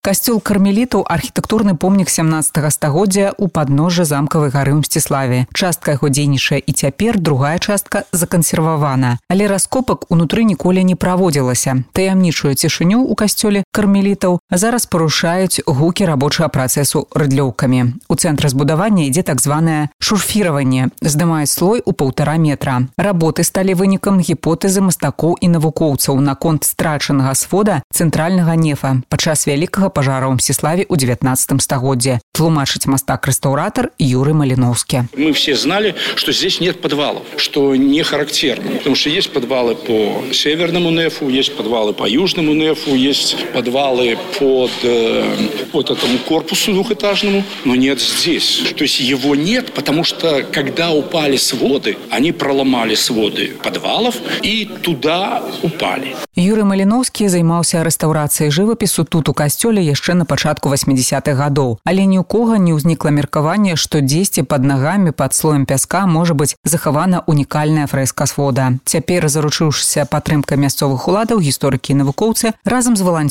Касцёл кармелітаў – архітэктурны помнік 17 стагоддзя ў падножжа замкавай гары ў Мсціславе. Частка яго дзейнічае і цяпер, другая частка закансервавана. Але раскопак унутры ніколі не праводзілася. Таямнічую цішыню ў касцёле кармелітаў зараз парушаюць гукі рабочага працэсу рыдлёўкамі. У цэнтры збудавання ідзе так званае шурфіраванне. Здымаюць слой у 1,5 метра. Работы сталі вынікам гіпотэзы мастакоў і навукоўцаў наконт страчанага свода цэнтральнага нефа падчас вялікага пажара ў Мсціславе ў 19 стагоддзе. Тлумачыць мастак-рэстаўратар Юрий Малиновский. Мы все знали, что здесь нет подвалов, что не характерно. Потому что есть подвалы по северному нефу, есть подвалы по южному нефу, есть подвалы под этому корпусу двухэтажному, но нет здесь. То есть его нет, потому что когда упали своды, они проломали своды подвалов и туда упали. Юрий Малиновский займаўся рэстаўрацыяй жывапісу тут у касцёле яшчэ на пачатку 80-х гадоў. Але ні ў кога не ўзнікла меркаванне, што дзесьці пад нагамі пад слоем пяска можа быць захавана унікальная фрэска свода. Цяпер, заручыўшыся падтрымкай мясцовых уладаў, гісторыкі і навукоўцы разам з валанцёрамі